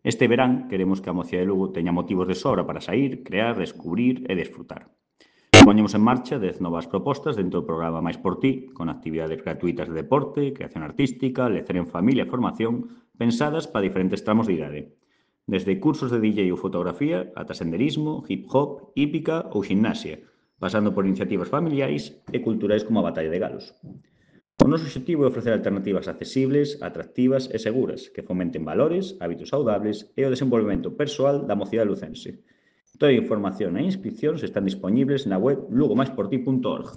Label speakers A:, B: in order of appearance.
A: Este verán queremos que a Mocidade de Lugo teña motivos de sobra para saír, crear, descubrir e desfrutar. Poñemos en marcha 10 novas propostas dentro do programa Máis por Ti, con actividades gratuitas de deporte, creación artística, lecer en familia e formación, pensadas para diferentes tramos de idade. Desde cursos de DJ ou fotografía ata senderismo, hip hop, hípica ou ximnasia, pasando por iniciativas familiares e culturais como a Batalla de Galos. O noso obxectivo é ofrecer alternativas accesibles, atractivas e seguras que fomenten valores, hábitos saudables e o desenvolvemento persoal da mocidade lucense. Toda a información e inscripcións están dispoñibles na web lugomáisporti.org.